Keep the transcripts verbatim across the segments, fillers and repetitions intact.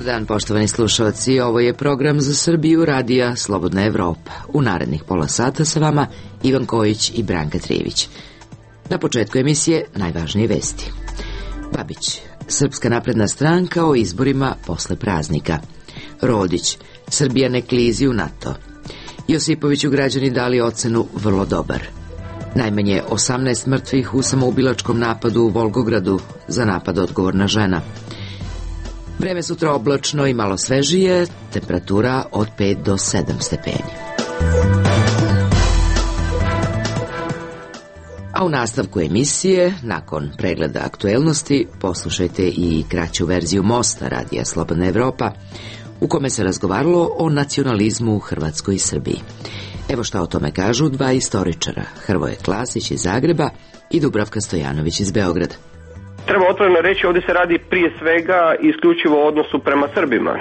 dan, poštovani slušalci, ovo je program za Srbiju Radija Slobodna Evropa. U narednih pola sata sa vama Ivan Kojić i Branka Trijević. Na početku emisije najvažnije vesti. Babić, Srpska napredna stranka o izborima posle praznika. Rodić, Srbija ne klizi u NATO. Josipoviću građani dali ocenu vrlo dobar. Najmanje osamnaest mrtvih u samoubilačkom napadu u Volgogradu, za napad odgovorna žena. Vreme sutra oblačno i malo svežije, temperatura od pet do sedam stepeni. A u nastavku emisije, nakon pregleda aktuelnosti, poslušajte i kraću verziju Mosta Radija Slobodna Evropa, u kome se razgovaralo o nacionalizmu u Hrvatskoj i Srbiji. Evo šta o tome kažu dva istoričara, Hrvoje Klasić iz Zagreba i Dubravka Stojanović iz Beograda. Treba otvoreno reći, ovdje se radi prije svega isključivo o odnosu prema Srbima.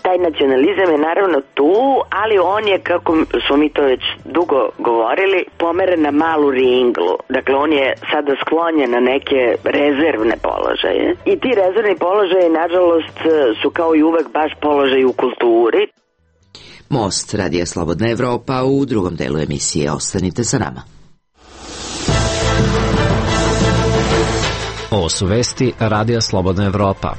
Taj nacionalizam je naravno tu, ali on je, kako smo mi to već dugo govorili, pomeren na malu ringlu. Dakle, on je sada sklonjen na neke rezervne položaje. I ti rezervni položaje, nažalost, su kao i uvek baš položaj u kulturi. Most Radija Slobodna Evropa u drugom delu emisije. Ostanite sa nama. Ovo su vesti Radija Slobodna Evropa.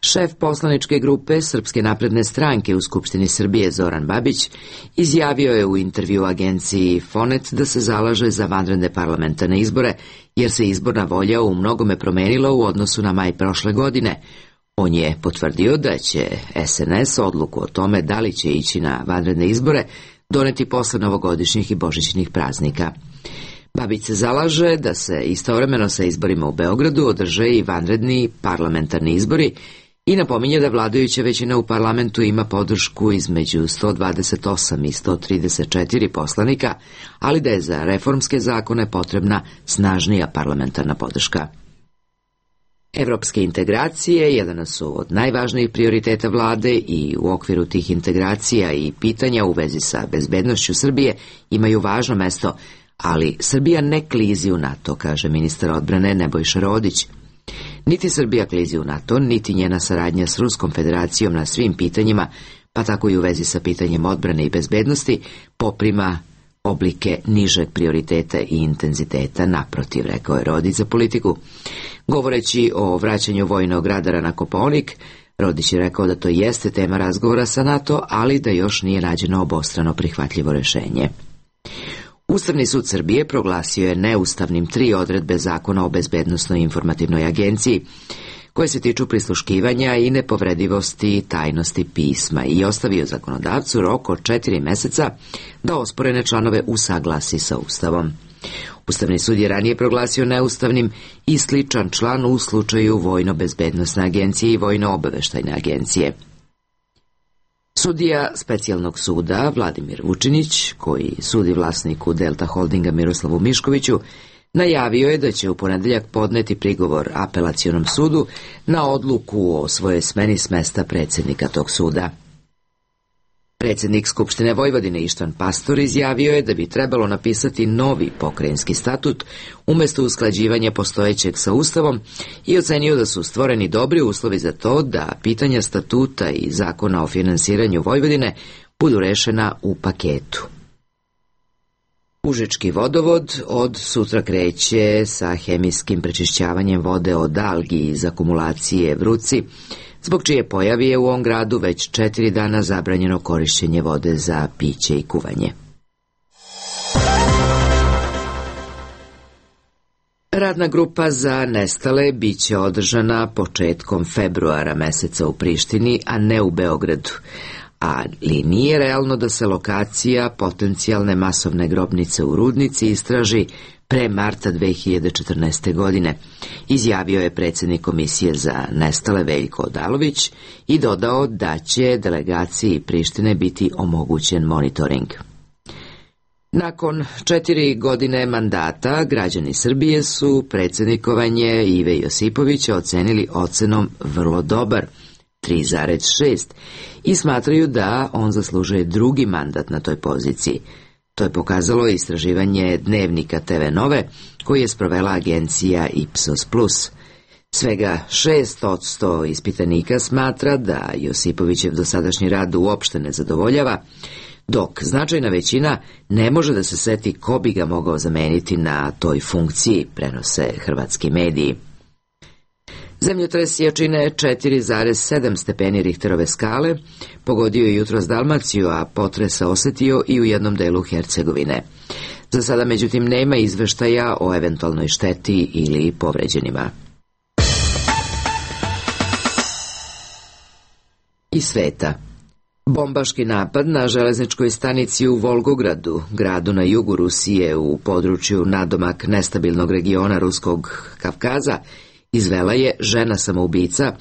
Šef poslaničke grupe Srpske napredne stranke u Skupštini Srbije Zoran Babić izjavio je u intervju agenciji Fonet da se zalaže za vanredne parlamentarne izbore, jer se izborna volja u mnogome promenila u odnosu na maj prošle godine. On je potvrdio da će S N S odluku o tome da li će ići na vanredne izbore doneti posle novogodišnjih i božićnih praznika. Babić se zalaže da se istovremeno sa izborima u Beogradu održe i vanredni parlamentarni izbori i napominje da vladajuća većina u parlamentu ima podršku između sto dvadeset osam i sto trideset četiri poslanika, ali da je za reformske zakone potrebna snažnija parlamentarna podrška. Evropske integracije jedan su od najvažnijih prioriteta vlade i u okviru tih integracija i pitanja u vezi sa bezbednošću Srbije imaju važno mesto, ali Srbija ne klizi u NATO, kaže ministar odbrane Nebojša Rodić. Niti Srbija klizi u NATO, niti njena saradnja s Ruskom federacijom na svim pitanjima, pa tako i u vezi sa pitanjem odbrane i bezbednosti, poprima oblike nižeg prioriteta i intenziteta, naprotiv, rekao je Rodić za Politiku. Govoreći o vraćanju vojnog radara na Kopaonik, Rodić je rekao da to jeste tema razgovora sa NATO, ali da još nije nađeno obostrano prihvatljivo rešenje. Ustavni sud Srbije proglasio je neustavnim tri odredbe Zakona o bezbednosnoj informativnoj agenciji, koje se tiču prisluškivanja i nepovredivosti tajnosti pisma i ostavio zakonodavcu rok od četiri meseca da osporene članove usaglasi sa Ustavom. Ustavni sud je ranije proglasio neustavnim i sličan član u slučaju Vojno-bezbednosne agencije i Vojno-obaveštajne agencije. Sudija specijalnog suda Vladimir Vučinić, koji sudi vlasniku Delta Holdinga Miroslavu Miškoviću, najavio je da će u ponedeljak podneti prigovor apelacionom sudu na odluku o svojoj smeni s mesta predsjednika tog suda. Predsjednik Skupštine Vojvodine Ištvan Pastor izjavio je da bi trebalo napisati novi pokrajinski statut umjesto usklađivanja postojećeg sa Ustavom i ocenio da su stvoreni dobri uslovi za to da pitanja statuta i zakona o finansiranju Vojvodine budu rešena u paketu. Užički vodovod od sutra kreće sa hemijskim prečišćavanjem vode od algi iz akumulacije Vruci, zbog čije pojavi je u ovom gradu već četiri dana zabranjeno korišćenje vode za piće i kuvanje. Radna grupa za nestale biće održana početkom februara meseca u Prištini, a ne u Beogradu. Ali nije realno da se lokacija potencijalne masovne grobnice u Rudnici istraži pre marta dve hiljade četrnaeste. godine, izjavio je predsjednik Komisije za nestale Veljko Odalović i dodao da će delegaciji Prištine biti omogućen monitoring. Nakon četiri godine mandata, građani Srbije su predsjednikovanje Ive Josipovića ocenili ocenom vrlo dobar, tri zarez šest, i smatraju da on zaslužuje drugi mandat na toj poziciji. To je pokazalo istraživanje Dnevnika T V Nove, koji je sprovela agencija Ipsos plus. Svega šest posto ispitanika smatra da Josipovićev dosadašnji rad uopšte ne zadovoljava, dok značajna većina ne može da se seti ko bi ga mogao zameniti na toj funkciji, prenose hrvatski mediji. Zemljotres jačine četiri zarez sedam stepeni Richterove skale pogodio je jutros Dalmaciju, a potres se osetio i u jednom delu Hercegovine. Za sada, međutim, nema izveštaja o eventualnoj šteti ili povređenima. Iz sveta. Bombaški napad na železničkoj stanici u Volgogradu, gradu na jugu Rusije u području nadomak nestabilnog regiona Ruskog Kavkaza, izvela je žena samoubica,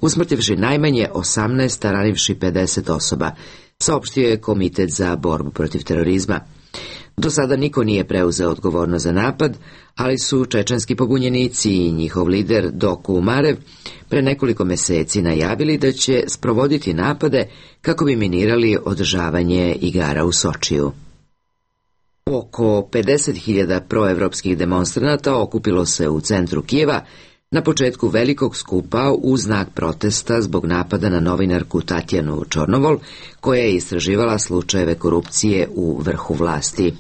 usmrtivši najmanje osamnaest, a ranivši pedeset osoba, saopštio je Komitet za borbu protiv terorizma. Do sada niko nije preuzeo odgovornost za napad, ali su čečenski pobunjenici i njihov lider Doku Umarev pre nekoliko meseci najavili da će sprovoditi napade kako bi minirali održavanje igara u Sočiju. Oko pedeset hiljada proevropskih demonstranata okupilo se u centru Kijeva na početku velikog skupa u znak protesta zbog napada na novinarku Tatjanu Čornovol, koja je istraživala slučajeve korupcije u vrhu vlasti.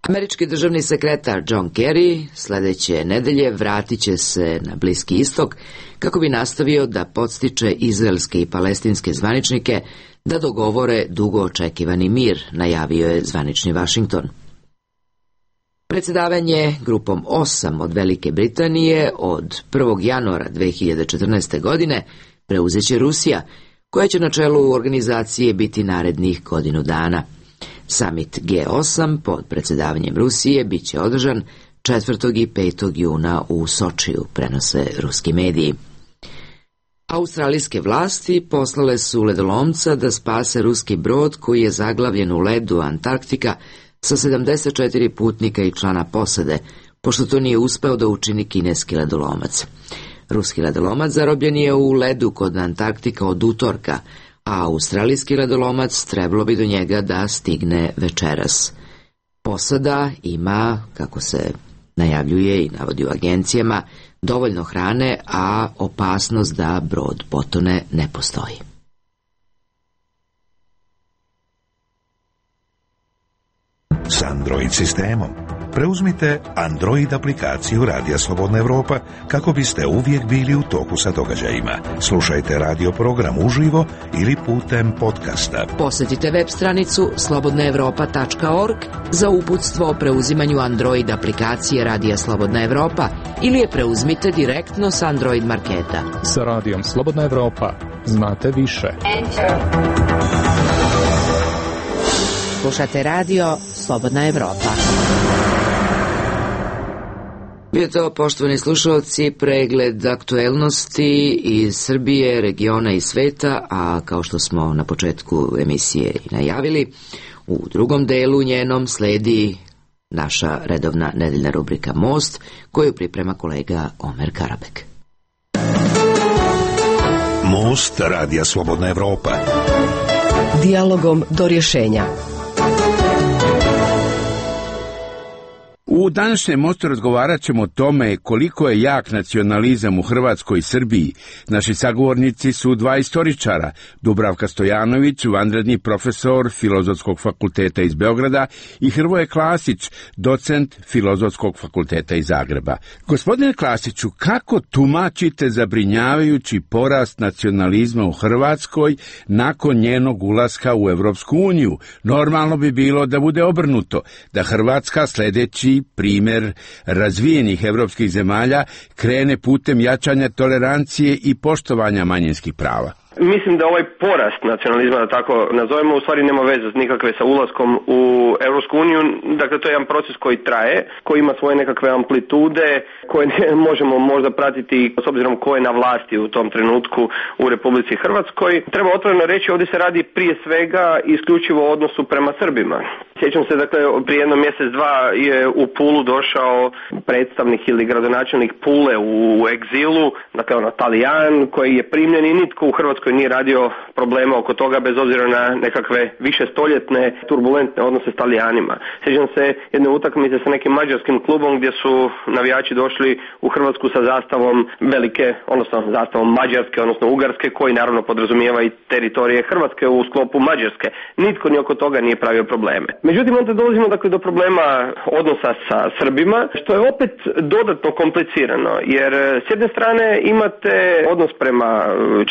Američki državni sekretar John Kerry sledeće nedelje vratit će se na Bliski istok kako bi nastavio da podstiče izraelske i palestinske zvaničnike da dogovore dugo očekivani mir, najavio je zvanični Vašington. Predsjedavanje grupom osam od Velike Britanije od prvog januara dve hiljade četrnaeste. godine preuzeće Rusija, koja će na čelu organizacije biti narednih godinu dana. Samit G osam pod predsjedavanjem Rusije bit će održan četvrtog i petog juna u Sočiju, prenose ruski mediji. Australijske vlasti poslale su ledolomca da spase ruski brod koji je zaglavljen u ledu Antarktika sa sedamdeset četiri putnika i člana posade, pošto to nije uspeo da učini kineski ledolomac. Ruski ledolomac zarobljen je u ledu kod Antarktika od utorka, a australijski ledolomac trebalo bi do njega da stigne večeras. Posada ima, kako se najavljuje i navodi u agencijama, dovoljno hrane, a opasnost da brod potone ne postoji. S Android sistemom preuzmite Android aplikaciju Radija Slobodna Evropa kako biste uvijek bili u toku sa događajima. Slušajte radio program uživo ili putem podcasta. Posjetite web stranicu slobodna evropa tačka org za uputstvo o preuzimanju Android aplikacije Radija Slobodna Evropa ili je preuzmite direktno s Android marketa. Sa Radijom Slobodna Evropa znate više. Slušate radio Slobodna Evropa. Bio to, poštovani slušalci, pregled aktuelnosti iz Srbije, regiona i sveta, a kao što smo na početku emisije i najavili, u drugom delu njenom sledi naša redovna nedeljna rubrika Most, koju priprema kolega Omer Karabek. Most Radija Slobodna Evropa. Dijalogom do rješenja. U današnjem mostu razgovarat ćemo o tome koliko je jak nacionalizam u Hrvatskoj i Srbiji. Naši sagovornici su dva istoričara, Dubravka Stojanović, vanredni profesor Filozofskog fakulteta iz Beograda, i Hrvoje Klasić, docent Filozofskog fakulteta iz Zagreba. Gospodine Klasiću, kako tumačite zabrinjavajući porast nacionalizma u Hrvatskoj nakon njenog ulaska u Evropsku uniju? Normalno bi bilo da bude obrnuto, da Hrvatska sljedeći primjer razvijenih evropskih zemalja krene putem jačanja tolerancije i poštovanja manjinskih prava. Mislim da ovaj porast nacionalizma, da tako nazovemo, u stvari nema veze nikakve sa ulaskom u Europsku uniju. Dakle, to je jedan proces koji traje, koji ima svoje nekakve amplitude, koje ne možemo možda pratiti s obzirom ko je na vlasti u tom trenutku u Republici Hrvatskoj. Treba otvoreno reći, ovdje se radi prije svega isključivo o odnosu prema Srbima. Sjećam se, dakle, prije jedno mjesec dva je u Pulu došao predstavnik ili gradonačelnik Pule u egzilu, dakle ono Talijan koji je primljen i nitko u Hrvatskoj nije radio problema oko toga bez obzira na nekakve više stoljetne turbulentne odnose s Talijanima. Sjećam se jedne utakmice sa nekim mađarskim klubom gdje su navijači došli u Hrvatsku sa zastavom velike, odnosno zastavom Mađarske, odnosno Ugarske, koji naravno podrazumijeva i teritorije Hrvatske u sklopu Mađarske. Nitko ni oko toga nije pravio probleme. Međutim, onda dolazimo dakle do problema odnosa sa Srbima, što je opet dodatno komplicirano, jer s jedne strane imate odnos prema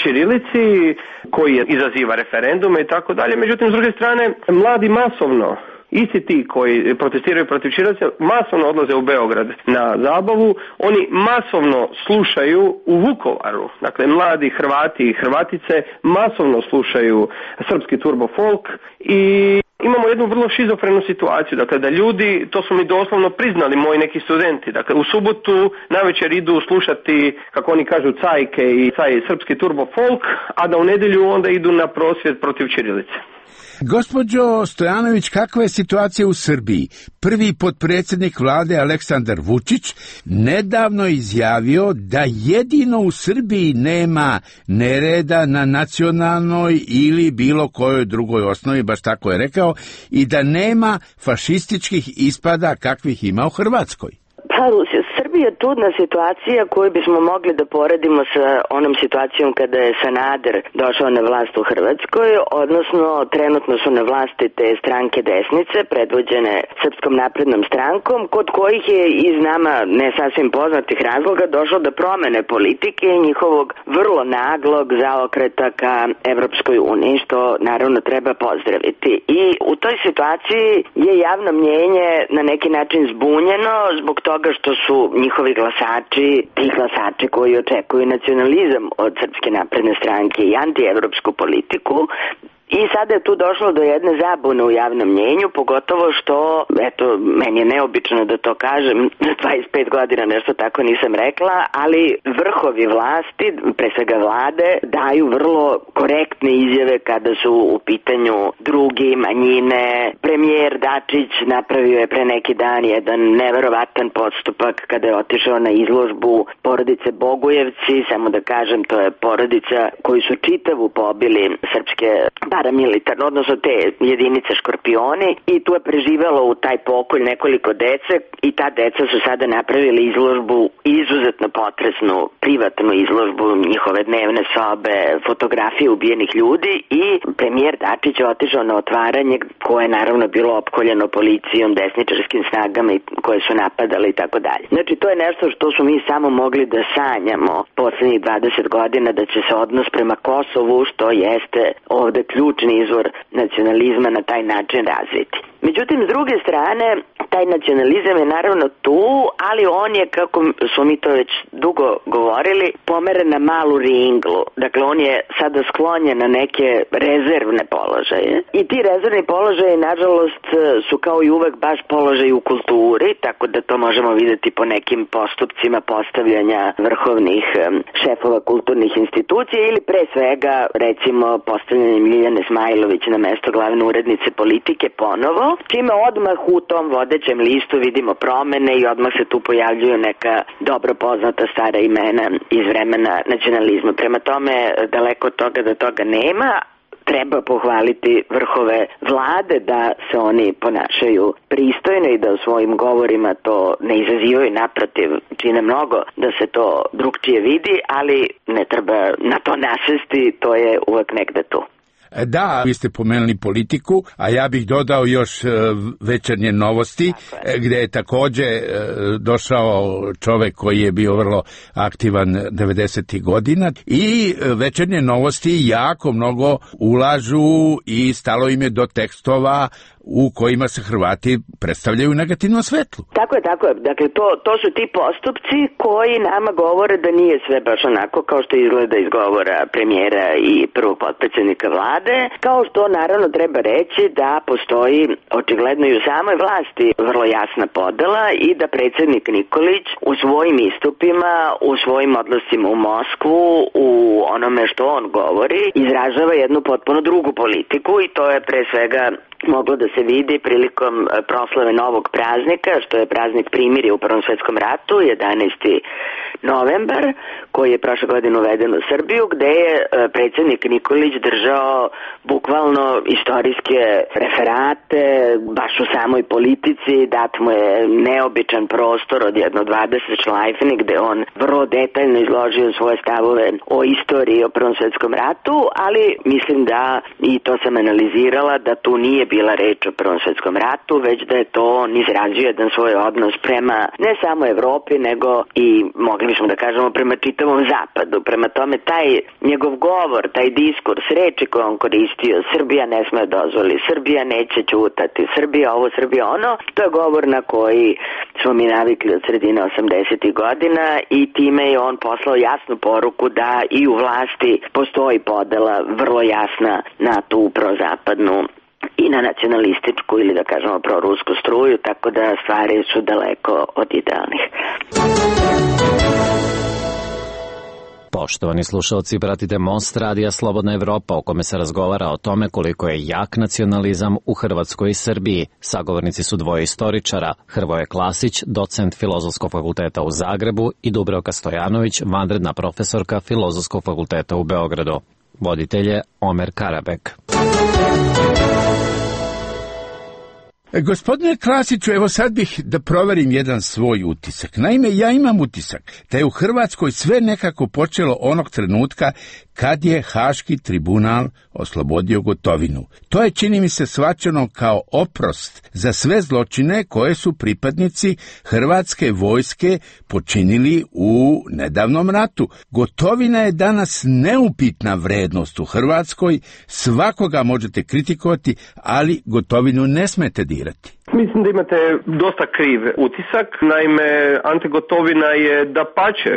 ćirilici koji izaziva referendume i tako dalje, međutim s druge strane mladi masovno, isti ti koji protestiraju protiv ćirilice, masovno odlaze u Beograd na zabavu, oni masovno slušaju u Vukovaru, dakle mladi Hrvati i Hrvatice masovno slušaju srpski turbo folk i imamo jednu vrlo šizofrenu situaciju, dakle da ljudi, to su mi doslovno priznali moji neki studenti, dakle u subotu navečer idu slušati, kako oni kažu, cajke i caj srpski turbo folk, a da u nedjelju onda idu na prosvjed protiv ćirilice. Gospođo Stojanović, kakva je situacija u Srbiji? Prvi potpredsjednik vlade Aleksandar Vučić nedavno izjavio da jedino u Srbiji nema nereda na nacionalnoj ili bilo kojoj drugoj osnovi, baš tako je rekao, i da nema fašističkih ispada kakvih ima u Hrvatskoj. Pa, Srbija je čudna situacija koju bismo mogli da poredimo sa onom situacijom kada je Sanader došao na vlast u Hrvatskoj, odnosno trenutno su na vlasti te stranke desnice, predvođene Srpskom naprednom strankom, kod kojih je iz nama ne sasvim poznatih razloga došlo do promene politike i njihovog vrlo naglog zaokreta ka Evropskoj uniji, što naravno treba pozdraviti. I u toj situaciji je javno mnjenje na neki način zbunjeno zbog toga što su njihovi glasači, ti glasači koji očekuju nacionalizam od Srpske napredne stranke i antievropsku politiku. I sada je tu došlo do jedne zabune u javnom mnjenju, pogotovo što, eto, meni je neobično da to kažem, dvadeset pet godina nešto tako nisam rekla, ali vrhovi vlasti, pre svega vlade, daju vrlo korektne izjave kada su u pitanju drugi, manjine. Premijer Dačić napravio je pre neki dan jedan neverovatan postupak kada je otišao na izložbu porodice Bogujevci, samo da kažem, to je porodica koju su čitavu pobili srpske paramilitarno, odnosno te jedinice Škorpioni, i tu je preživelo u taj pokolj nekoliko dece i ta deca su sada napravili izložbu, izuzetno potresnu privatnu izložbu, njihove dnevne sobe, fotografije ubijenih ljudi, i premijer Dačić je otišao na otvaranje koje je naravno bilo opkoljeno policijom, desničarskim snagama i koje su napadale i tako dalje. Znači to je nešto što su mi samo mogli da sanjamo poslednjih dvadeset godina, da će se odnos prema Kosovu, što jeste ovde ključni izvor nacionalizma, na taj način razviti. Međutim, s druge strane, taj nacionalizam je naravno tu, ali on je, kako smo mi to već dugo govorili, pomeren na malu ringlu. Dakle, on je sada sklonjen na neke rezervne položaje. I ti rezervni položaje, nažalost, su kao i uvek baš položaj u kulturi, tako da to možemo vidjeti po nekim postupcima postavljanja vrhovnih šefova kulturnih institucija ili pre svega, recimo, postavljanjem Ljiljane Smajlović na mesto glavne urednice Politike ponovo, čime odmah u tom vodećem listu vidimo promene i odmah se tu pojavljuju neka dobro poznata stara imena iz vremena nacionalizma. Prema tome, daleko od toga da toga nema, treba pohvaliti vrhove vlade da se oni ponašaju pristojno i da u svojim govorima to ne izazivaju, naprotiv, čine mnogo da se to drugčije vidi, ali ne treba na to nasesti, to je uvek negde tu. Da, vi ste pomenuli Politiku, a ja bih dodao još Večernje novosti, gdje je također došao čovjek koji je bio vrlo aktivan devedesetih godina, i Večernje novosti jako mnogo ulažu i stalo im je do tekstova u kojima se Hrvati predstavljaju u negativnom svetlu. Tako je, tako je. Dakle, to, to su ti postupci koji nama govore da nije sve baš onako kao što izgleda iz govora premijera i prvog potpredsjednika vlade, kao što naravno treba reći da postoji očigledno i u samoj vlasti vrlo jasna podela i da predsjednik Nikolić u svojim istupima, u svojim odlascima u Moskvu, u onome što on govori, izražava jednu potpuno drugu politiku, i to je pre svega moglo da se vidi prilikom proslave novog praznika, što je praznik primirja u Prvom svetskom ratu, jedanaesti novembar, koji je prošle godine uveden u Srbiju, gde je predsjednik Nikolić držao bukvalno istorijske referate, baš u samoj politici, dat mu je neobičan prostor od jedno dvadeset šlajfeni, gde on vrlo detaljno izložio svoje stavove o istoriji, o Prvom svetskom ratu, ali mislim da, i to sam analizirala, da tu nije bila reč o Prvom svetskom ratu, već da je to on izrazio jedan svoj odnos prema ne samo Evropi, nego i, mogli bismo da kažemo, prema čitavom zapadu. Prema tome, taj njegov govor, taj diskurs, reči koje on koristio, Srbija ne sme dozvoli, Srbija neće ćutati, Srbija ovo, Srbija ono, to je govor na koji smo mi navikli od sredine osamdesetih godina i time je on poslao jasnu poruku da i u vlasti postoji podela vrlo jasna na tu prozapadnu i na nacionalističku ili da kažemo prorusku struju, tako da stvari su daleko od idealnih. Poštovani slušalci, pratite Most radija Slobodna Evropa, o kome se razgovara o tome koliko je jak nacionalizam u Hrvatskoj i Srbiji. Sagovornici su dvoje istoričara, Hrvoje Klasić, docent Filozofskog fakulteta u Zagrebu, i Dubravka Stojanović, vanredna profesorka Filozofskog fakulteta u Beogradu. Voditelj je Omer Karabek. Gospodine Klasiću, evo sad bih da proverim jedan svoj utisak. Naime, ja imam utisak da je u Hrvatskoj sve nekako počelo onog trenutka kad je Haški tribunal oslobodio Gotovinu. To je, čini mi se, shvaćeno kao oprost za sve zločine koje su pripadnici hrvatske vojske počinili u nedavnom ratu. Gotovina je danas neupitna vrednost u Hrvatskoj, svakoga možete kritikovati, ali Gotovinu ne smete dirati. Mislim da imate dosta kriv utisak. Naime, Ante Gotovina je, dapače,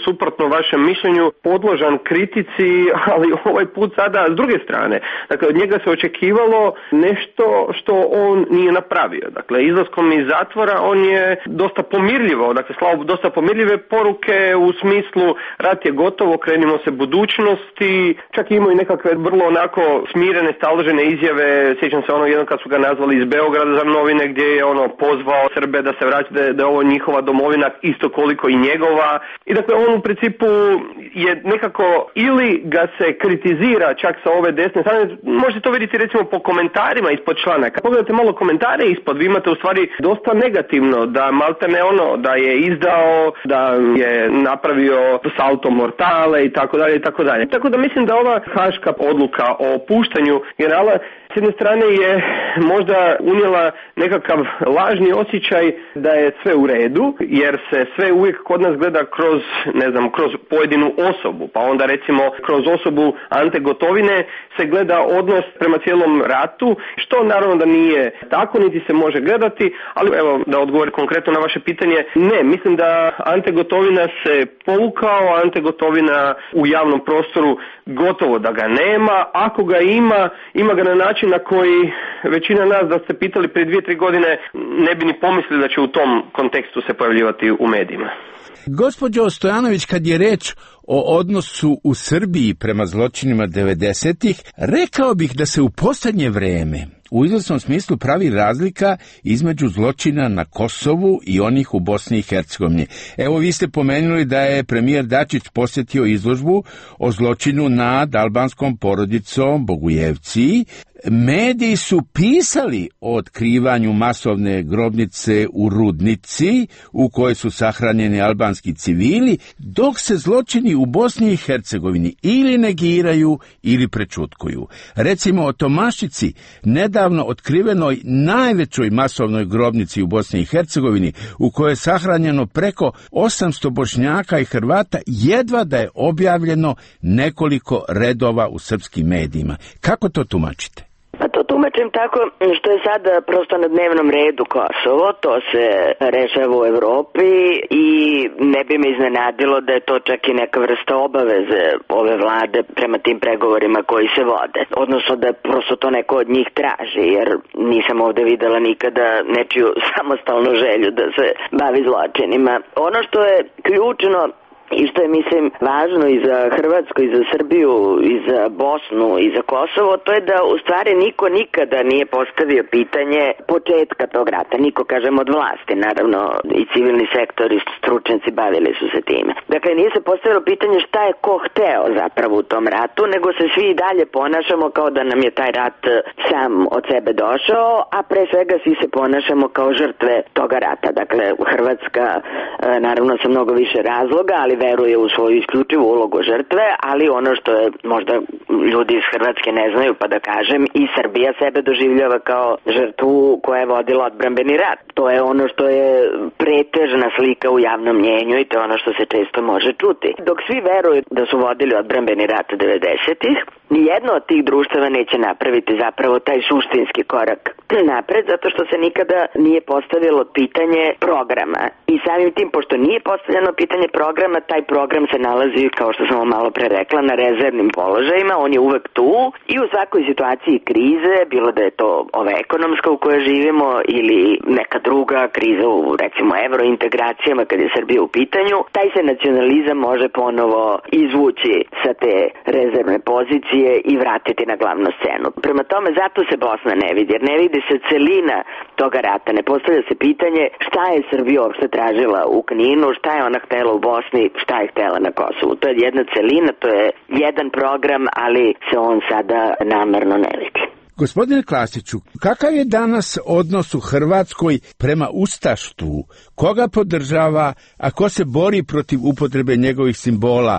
suprotno vašem mišljenju, podložan kritici, ali ovaj put sada s druge strane. Dakle, od njega se očekivalo nešto što on nije napravio. Dakle, izlaskom iz zatvora on je dosta pomirljivo, dakle, slavo dosta pomirljive poruke u smislu rat je gotovo, krenimo se budućnosti, čak imao i nekakve vrlo onako smirene, staložene izjave. Sjećam se ono jednom kad su ga nazvali iz Beograda za novine, gdje je ono pozvao Srbe da se vraća, da je, da je ovo njihova domovina isto koliko i njegova. I dakle, on u principu je nekako, ili ga se kritizira čak sa ove desne strane, možete to vidjeti recimo po komentarima ispod članaka. Pogledajte malo komentare ispod, vi imate u stvari dosta negativno, da maltene ono, da je izdao, da je napravio salto mortale i tako dalje i tako dalje. Tako da mislim da ova haška odluka o puštanju generala s jedne strane je možda unijela nekakav lažni osjećaj da je sve u redu, jer se sve uvijek kod nas gleda kroz, ne znam, kroz pojedinu osobu, pa onda recimo kroz osobu Ante Gotovine se gleda odnos prema cijelom ratu, što naravno da nije tako, niti se može gledati, ali evo da odgovorim konkretno na vaše pitanje, ne, mislim da Ante Gotovina se povukao, Ante Gotovina u javnom prostoru gotovo da ga nema, ako ga ima, ima ga na način na koji većina nas, da ste pitali prije dvije, tri godine, ne bi ni pomislili da će u tom kontekstu se pojavljivati u medijima. Gospođo Stojanović, kad je reč o odnosu u Srbiji prema zločinima devedesetih, rekao bih da se u posljednje vreme u izvjesnom smislu pravi razlika između zločina na Kosovu i onih u Bosni i Hercegovini. Evo, vi ste pomenuli da je premijer Dačić posjetio izložbu o zločinu nad albanskom porodicom Bogujevci. Mediji su pisali o otkrivanju masovne grobnice u Rudnici u kojoj su sahranjeni albanski civili, dok se zločini u Bosni i Hercegovini ili negiraju ili prečutkuju. Recimo o Tomašici, nedavno otkrivenoj najvećoj masovnoj grobnici u Bosni i Hercegovini, u kojoj je sahranjeno preko osamsto Bošnjaka i Hrvata, jedva da je objavljeno nekoliko redova u srpskim medijima. Kako to tumačite? Pa to tumačim tako što je sad prosto na dnevnom redu Kosovo, to se rešava u Evropi i ne bi me iznenadilo da je to čak i neka vrsta obaveze ove vlade prema tim pregovorima koji se vode. Odnosno da prosto to neko od njih traži, jer nisam ovde videla nikada nečiju samostalnu želju da se bavi zločinima. Ono što je ključno i što je, mislim, važno i za Hrvatsku, i za Srbiju, i za Bosnu, i za Kosovo, to je da u stvari niko nikada nije postavio pitanje početka tog rata. Niko, kažem, od vlasti, naravno, i civilni sektor i stručnjaci bavili su se time. Dakle, nije se postavilo pitanje šta je ko hteo zapravo u tom ratu, nego se svi i dalje ponašamo kao da nam je taj rat sam od sebe došao, a pre svega svi se ponašamo kao žrtve toga rata. Dakle, Hrvatska, naravno, sa mnogo više razloga, ali veruje u svoju isključivu ulogu žrtve, ali ono što je možda ljudi iz Hrvatske ne znaju, pa da kažem, i Srbija sebe doživljava kao žrtvu koja je vodila odbrambeni rat. To je ono što je pretežna slika u javnom mnjenju i to je ono što se često može čuti. Dok svi veruju da su vodili odbrambeni rat devedesetih, nijedno od tih društava neće napraviti zapravo taj suštinski korak napred, zato što se nikada nije postavilo pitanje programa. I samim tim, pošto nije postavljeno pitanje programa, taj program se nalazi, kao što sam malo pre rekla, na rezervnim položajima, on je uvek tu i u svakoj situaciji krize, bilo da je to ova ekonomska u kojoj živimo ili neka druga kriza u, recimo, evrointegracijama kad je Srbija u pitanju, taj se nacionalizam može ponovo izvući sa te rezervne pozicije i vratiti na glavnu scenu. Prema tome, zato se Bosna ne vidi, jer ne vidi se celina toga rata, ne postavlja se pitanje šta je Srbija uopšte tražila u Kninu, šta je ona htela u Bosni, šta je htela na Kosovu. To je jedna celina, to je jedan program, ali se on sada namerno ne vidi. Gospodine Klasiću, kakav je danas odnos u Hrvatskoj prema ustaštvu? Koga podržava, a ko se bori protiv upotrebe njegovih simbola?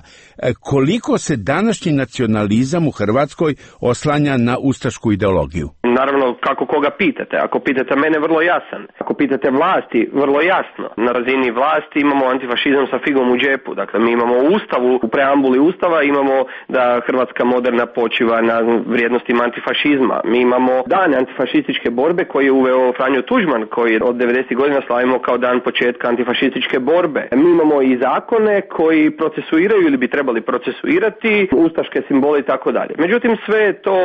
Koliko se današnji nacionalizam u Hrvatskoj oslanja na ustašku ideologiju? Naravno, kako koga pitate. Ako pitate mene, vrlo jasan. Ako pitate vlasti, vrlo jasno. Na razini vlasti imamo antifašizam sa figom u džepu. Dakle, mi imamo u Ustavu, u preambuli Ustava imamo da Hrvatska moderna počiva na vrijednostima antifašizma. Mi imamo dan antifašističke borbe koji je uveo Franjo Tuđman, koji od devedesetih godina slavimo kao dan početka antifašističke borbe. Mi imamo i zakone koji procesuiraju ili bi trebali procesuirati ustaške simbole i tako dalje. Međutim, sve je to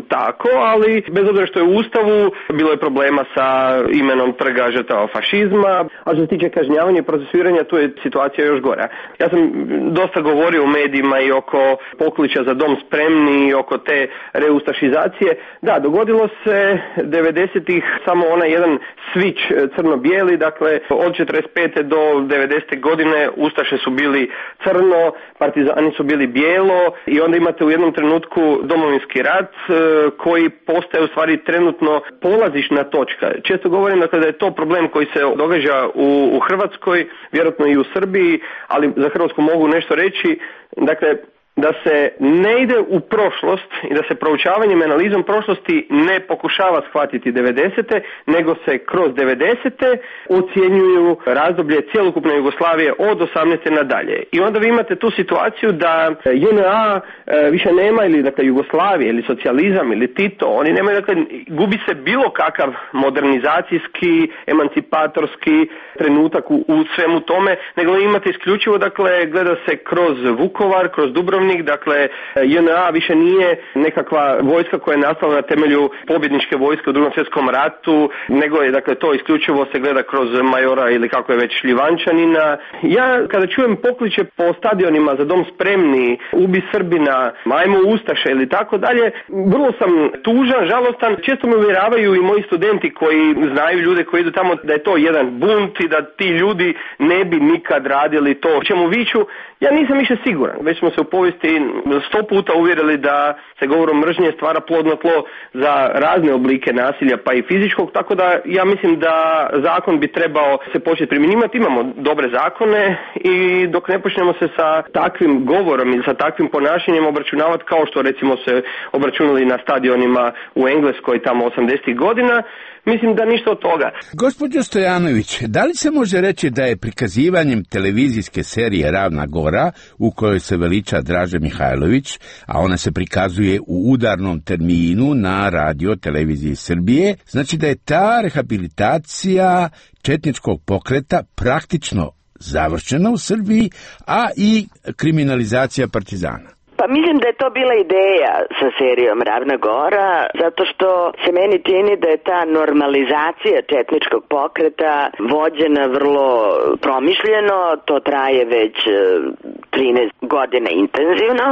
tako, ali bez obzira što je u Ustavu, bilo je problema sa imenom trga žrtava fašizma, a što se tiče kažnjavanja i procesuiranja, tu je situacija još gora. Ja sam dosta govorio u medijima i oko pokliča za dom spremni i oko te reustašizacije. Da, dogodilo se devedesetih samo onaj jedan switch crno-bijeli, dakle od četrdeset pete do devedesete godine ustaše su bili crno, partizani su bili bijelo i onda imate u jednom trenutku Domovinski rat koji postaje u stvari trenutno polazišna točka. Često govorim dakle da je to problem koji se događa u, u Hrvatskoj, vjerojatno i u Srbiji, ali za Hrvatsku mogu nešto reći. Dakle, da se ne ide u prošlost i da se proučavanjem analizom prošlosti ne pokušava shvatiti devedesete, nego se kroz devedesete ocjenjuju razdoblje cjelokupne Jugoslavije od osamnaeste nadalje. I onda vi imate tu situaciju da J N A više nema, ili dakle Jugoslavije, ili socijalizam, ili Tito, oni nemaju, dakle, gubi se bilo kakav modernizacijski, emancipatorski trenutak u, u svemu tome, nego imate isključivo, dakle, gleda se kroz Vukovar, kroz Dubrovnik. Dakle, J N A više nije nekakva vojska koja je nastala na temelju pobjedničke vojske u Drugom svjetskom ratu, nego je, dakle, to isključivo se gleda kroz majora ili kako je već Šljivančanina. Ja kada čujem pokliče po stadionima za dom spremni, ubi Srbina, ajmo ustaše ili tako dalje, vrlo sam tužan, žalostan. Često me uvjeravaju i moji studenti koji znaju ljude koji idu tamo da je to jedan bunt i da ti ljudi ne bi nikad radili to o čemu viču. Ja nisam više siguran. Već smo se u povijesti sto puta uvjerili da se govorom mržnje stvara plodno tlo za razne oblike nasilja, pa i fizičkog, tako da ja mislim da zakon bi trebao se početi primjenjivati. Imamo dobre zakone i dok ne počnemo se sa takvim govorom i sa takvim ponašanjem obračunavati kao što recimo se obračunali na stadionima u Engleskoj tamo osamdesetih godina, mislim da ništa od toga. Gospođo Stojanović, da li se može reći da je prikazivanjem televizijske serije Ravna Gora, u kojoj se veliča Draže Mihajlović, a ona se prikazuje u udarnom terminu na radio televiziji Srbije, znači da je ta rehabilitacija četničkog pokreta praktično završena u Srbiji, a i kriminalizacija partizana? Pa mislim da je to bila ideja sa serijom Ravna Gora, zato što se meni čini da je ta normalizacija četničkog pokreta vođena vrlo promišljeno, to traje već trinaest godina intenzivno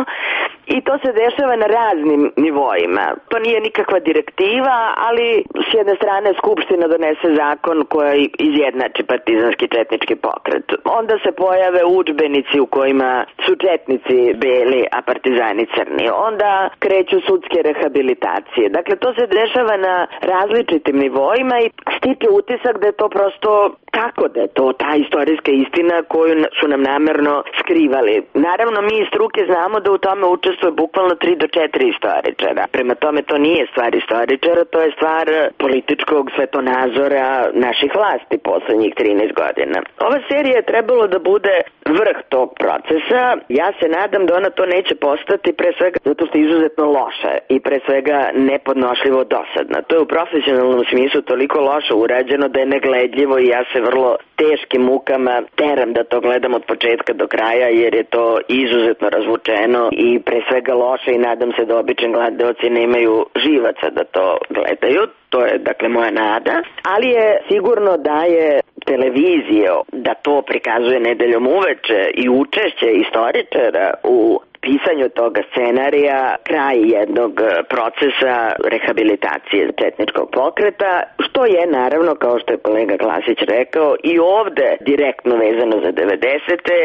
i to se dešava na raznim nivoima. To nije nikakva direktiva, ali s jedne strane Skupština donese zakon koji izjednači partizanski četnički pokret. Onda se pojave udžbenici u kojima su četnici beli, a partizani crni. Onda kreću sudske rehabilitacije. Dakle, to se dešava na različitim nivoima i stiče utisak da je to prosto tako, da je to ta istorijska istina koju su nam namerno skrivali. Naravno, mi iz struke znamo da u tome učestvuje bukvalno tri do četiri istoričara. Prema tome, to nije stvar istoričara, to je stvar političkog svetonazora naših vlasti poslednjih trinaest godina. Ova serija je trebalo da bude vrh tog procesa. Ja se nadam da ona to neće postati, pre svega zato što je izuzetno loša i pre svega nepodnošljivo dosadna. To je u profesionalnom smislu toliko loše urađeno da je negledljivo i ja se vrlo teškim mukama teram da to gledam od početka do kraja, jer je to izuzetno razvučeno i pre svega loše i nadam se da obični gledaoci nemaju živaca da to gledaju. To je, dakle, moja nada. Ali je sigurno da je televizija, da to prikazuje nedeljom uveče i učešće istoričara u pisanju toga scenarija kraj jednog procesa rehabilitacije četničkog pokreta, što je naravno, kao što je kolega Klasić rekao, i ovde direktno vezano za devedesete,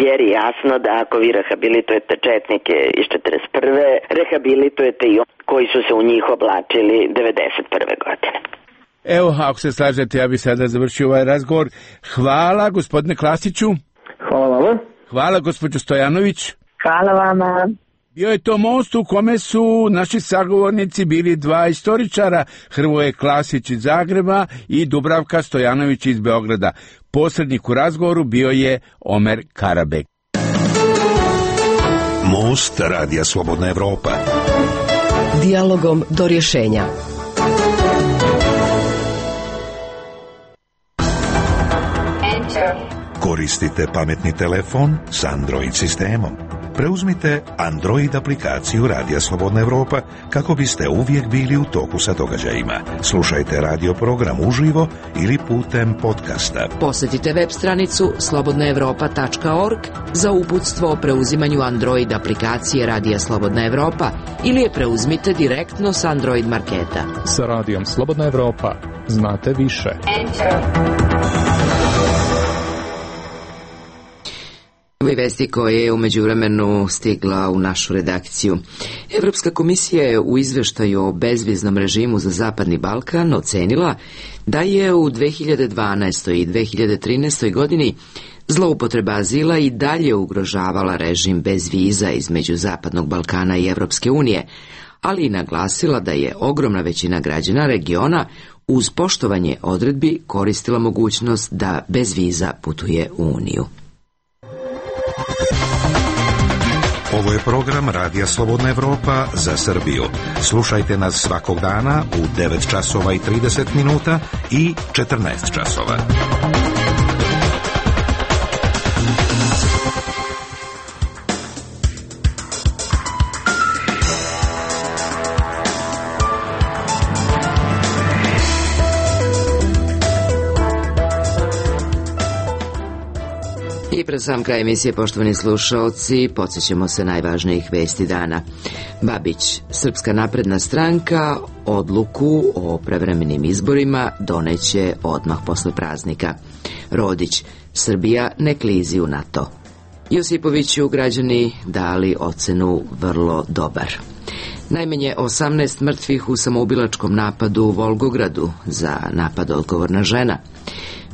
jer je jasno da ako vi rehabilitujete četnike iz četrdeset prve, rehabilitujete i oni koji su se u njih oblačili devedeset prve godine. Evo, ako se slažete, ja bih sada završio ovaj razgovor. Hvala, gospodine Klasiću. Hvala vama. Hvala, gospođo Stojanović. Hvala vama. Bio je to most u kome su naši sagovornici bili dva istoričara, Hrvoje Klasić iz Zagreba i Dubravka Stojanović iz Beograda. Posrednik u razgovoru bio je Omer Karabek. Most Radija Slobodna Evropa. Dijalogom do rješenja. Koristite pametni telefon s Android sistemom. Preuzmite Android aplikaciju Radija Slobodna Evropa kako biste uvijek bili u toku sa događajima. Slušajte radio program uživo ili putem podcasta. Posjetite web stranicu slobodna evropa tačka org za uputstvo o preuzimanju Android aplikacije Radija Slobodna Evropa ili je preuzmite direktno s Android marketa. Sa Radijom Slobodna Evropa znate više. Ove vesti koje je u međuvremenu stigla u našu redakciju. Evropska komisija je u izveštaju o bezviznom režimu za Zapadni Balkan ocenila da je u dve hiljade dvanaestoj i dve hiljade trinaestoj godini zloupotreba azila i dalje ugrožavala režim bez viza između Zapadnog Balkana i Evropske unije, ali i naglasila da je ogromna većina građana regiona uz poštovanje odredbi koristila mogućnost da bez viza putuje u Uniju. Ovo je program Radija Slobodna Evropa za Srbiju. Slušajte nas svakog dana u devet časova i trideset minuta i četrnaest časova. I pred sam kraj emisije, poštovani slušalci, podsjećamo se najvažnijih vesti dana. Babić, Srpska napredna stranka, odluku o prevremenim izborima doneće odmah posle praznika. Rodić, Srbija ne klizi u NATO. Josipoviću građani dali ocenu vrlo dobar. Najmanje osamnaest mrtvih u samoubilačkom napadu u Volgogradu, za napad odgovorna žena.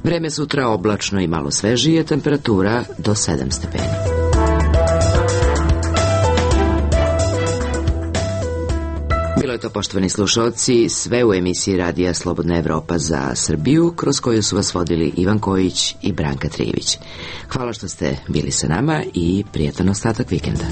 Vreme sutra oblačno i malo svežije, temperatura do sedam stepeni. Bilo je to, poštovani slušalci, sve u emisiji Radija Slobodna Evropa za Srbiju, kroz koju su vas vodili Ivan Kojić i Branka Trijević. Hvala što ste bili sa nama i prijatan ostatak vikenda.